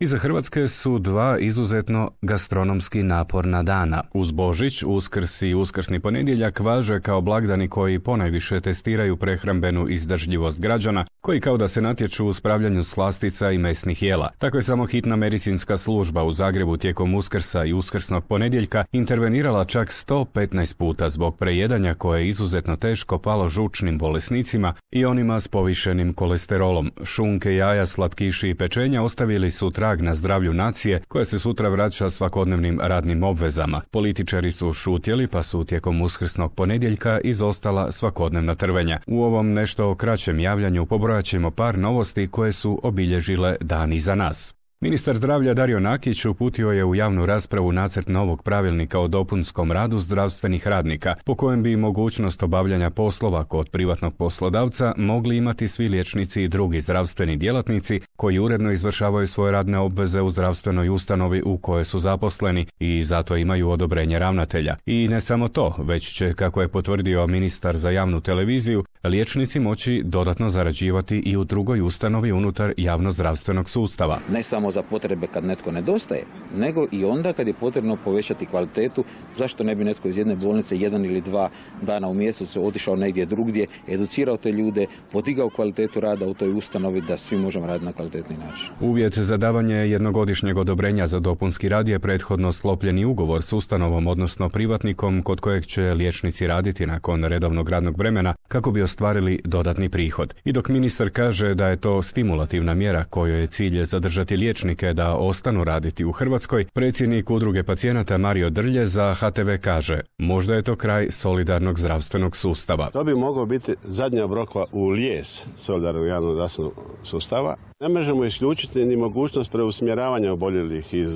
Iza Hrvatske su dva izuzetno gastronomski naporna dana. Uz Božić, Uskrs i Uskrsni ponedjeljak važe kao blagdani koji ponajviše testiraju prehrambenu izdržljivost građana, koji kao da se natječu u spravljanju slastica i mesnih jela. Tako je samo hitna medicinska služba u Zagrebu tijekom Uskrsa i Uskrsnog ponedjeljka intervenirala čak 115 puta zbog prejedanja koje je izuzetno teško palo žučnim bolesnicima i onima s povišenim kolesterolom. Šunke, jaja, slatkiši i pečenja ostavili su trag na zdravlju nacije koja se sutra vraća svakodnevnim radnim obvezama. Političari su šutjeli pa su tijekom Uskrsnog ponedjeljka izostala svakodnevna trvenja. U ovom nešto kraćem javljanju pobrojat ćemo par novosti koje su obilježile dan iza nas. Ministar zdravlja Dario Nakić uputio je u javnu raspravu nacrt novog pravilnika o dopunskom radu zdravstvenih radnika, po kojem bi mogućnost obavljanja poslova kod privatnog poslodavca mogli imati svi liječnici i drugi zdravstveni djelatnici koji uredno izvršavaju svoje radne obveze u zdravstvenoj ustanovi u kojoj su zaposleni i zato imaju odobrenje ravnatelja. I ne samo to, već će, kako je potvrdio ministar za javnu televiziju, liječnici moći dodatno zarađivati i u drugoj ustanovi unutar javnozdravstvenog sustava. Ne samo za potrebe kad netko nedostaje, nego i onda kad je potrebno povećati kvalitetu. Zašto ne bi netko iz jedne bolnice 1 ili 2 dana u mjesecu otišao negdje drugdje, educirao te ljude, podigao kvalitetu rada u toj ustanovi da svi možemo raditi na kvalitetni način. Uvjet za davanje jednogodišnjeg odobrenja za dopunski rad je prethodno sklopljeni ugovor s ustanovom, odnosno privatnikom kod kojeg će liječnici raditi nakon redovnog radnog vremena kako bi ostvarili dodatni prihod. I dok ministar kaže da je to stimulativna mjera kojoj je cilj zadržati liječnike da ostanu raditi u Hrvatskoj, predsjednik udruge pacijenata Mario Drlje za HTV kaže: možda je to kraj solidarnog zdravstvenog sustava. To bi moglo biti zadnja brokva u lijes solidarnog javnog zdravstvenog sustava. Ne možemo isključiti ni mogućnost preusmjeravanja oboljelih iz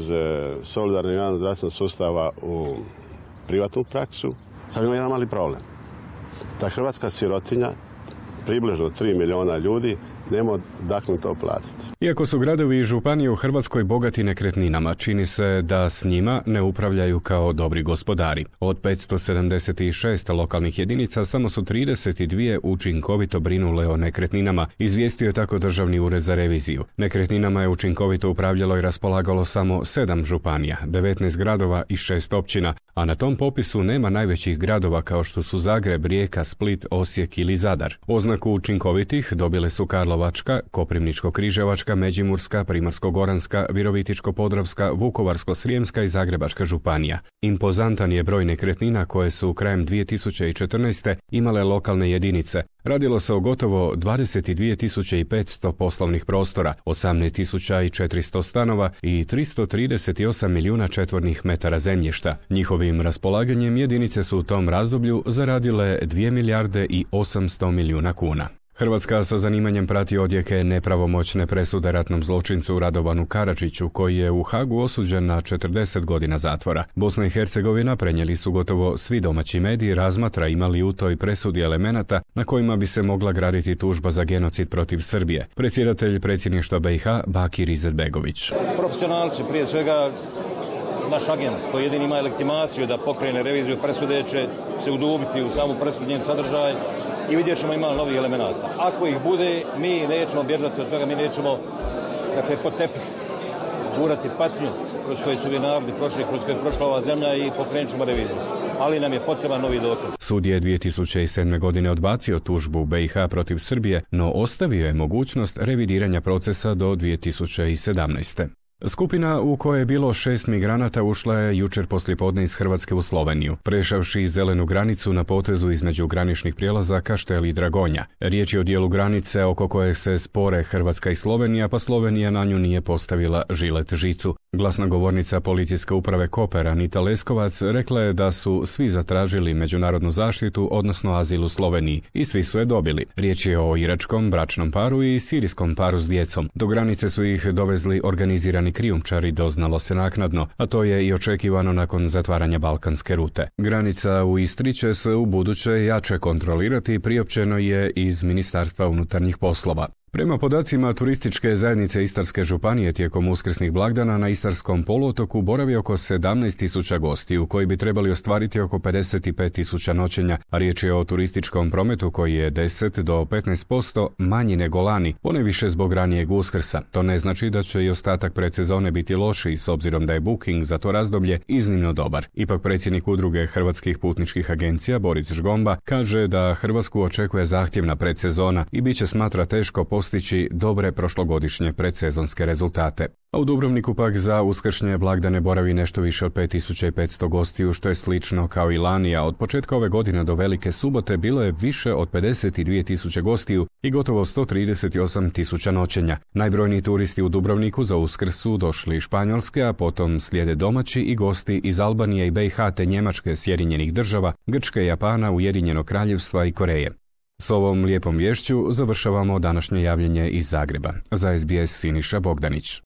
solidarnog javnog zdravstvenog sustava u privatnu praksu. Sad imamo jedan mali problem. Ta hrvatska sirotinja, približno 3 milijuna ljudi, nema dakle to platiti. Iako su gradovi i županije u Hrvatskoj bogati nekretninama, čini se da s njima ne upravljaju kao dobri gospodari. Od 576 lokalnih jedinica samo su 32 učinkovito brinule o nekretninama, izvijestio je tako Državni ured za reviziju. Nekretninama je učinkovito upravljalo i raspolagalo samo 7 županija, 19 gradova i 6 općina, a na tom popisu nema najvećih gradova kao što su Zagreb, Rijeka, Split, Osijek ili Zadar. Oznaku učinkovitih dobile su Karlovačka, Koprivničko-križevačka, Međimurska, Primorsko-goranska, Virovitičko-podravska, Vukovarsko-srijemska i Zagrebačka županija. Impozantan je broj nekretnina koje su krajem 2014. imale lokalne jedinice. Radilo se o gotovo 22.500 poslovnih prostora, 18.400 stanova i 338 milijuna četvornih metara zemljišta. Njihovim raspolaganjem jedinice su u tom razdoblju zaradile 2 milijarde i 800 milijuna kuna. Hrvatska sa zanimanjem prati odjeke nepravomoćne presude ratnom zločincu Radovanu Karadžiću, koji je u Hagu osuđen na 40 godina zatvora. Bosna i Hercegovina, prenijeli su gotovo svi domaći mediji, razmatra imali u toj presudi elemenata na kojima bi se mogla graditi tužba za genocid protiv Srbije. Predsjedatelj predsjedništva BiH Bakir Izetbegović. Profesionalci, prije svega naš agent koji jedini ima legitimaciju da pokrene reviziju presude, će se udubiti u samu presudu, njen sadržaj i vidjet ćemo ima novih elemenata. Ako ih bude, mi nećemo bježati od toga, mi nećemo pod tepih gurati patnju kroz koje su narodi prošli, kroz koje je prošla ova zemlja i pokrenut ćemo reviziju. Ali nam je potreban novi dokaz. Sud je 2007. godine odbacio tužbu BiH protiv Srbije, no ostavio je mogućnost revidiranja procesa do 2017. Skupina u kojoj je bilo 6 migranata ušla je jučer poslijepodne iz Hrvatske u Sloveniju, prešavši zelenu granicu na potezu između graničnih prijelaza Kaštel i Dragonja. Riječ je o dijelu granice oko koje se spore Hrvatska i Slovenija, pa Slovenija na nju nije postavila žilet žicu. Glasnogovornica policijske uprave Koper Anita Leskovac rekla je da su svi zatražili međunarodnu zaštitu, odnosno azil u Sloveniji, i svi su je dobili. Riječ je o iračkom bračnom paru i sirijskom paru s djecom. Do granice su ih dovezli organizirani krijumčari, doznalo se naknadno, a to je i očekivano nakon zatvaranja balkanske rute. Granica u Istri će se u buduće jače kontrolirati, priopćeno je iz Ministarstva unutarnjih poslova. Prema podacima turističke zajednice Istarske županije tijekom uskrsnih blagdana na Istarskom poluotoku boravi oko 17.000 gostiju koji bi trebali ostvariti oko 55.000 noćenja, a riječ je o turističkom prometu koji je 10 do 15% manji nego lani, ponajviše zbog ranijeg Uskrsa. To ne znači da će i ostatak predsezone biti lošiji s obzirom da je booking za to razdoblje iznimno dobar. Ipak predsjednik udruge hrvatskih putničkih agencija Boris Žgomba kaže da Hrvatsku očekuje zahtjevna predsezona i bit će smatra teško postići dobre prošlogodišnje predsezonske rezultate. A u Dubrovniku pak za uskršnje blagdane boravi nešto više od 5500 gostiju, što je slično kao i lani, a od početka ove godine do Velike subote bilo je više od 52.000 gostiju i gotovo 138.000 noćenja. Najbrojniji turisti u Dubrovniku za Uskrs su došli iz Španjolske, a potom slijede domaći i gosti iz Albanije i BiH te Njemačke, Sjedinjenih Država, Grčke, Japana, Ujedinjenog Kraljevstva i Koreje. S ovom lijepom vješću završavamo današnje javljanje iz Zagreba. Za SBS Siniša Bogdanić.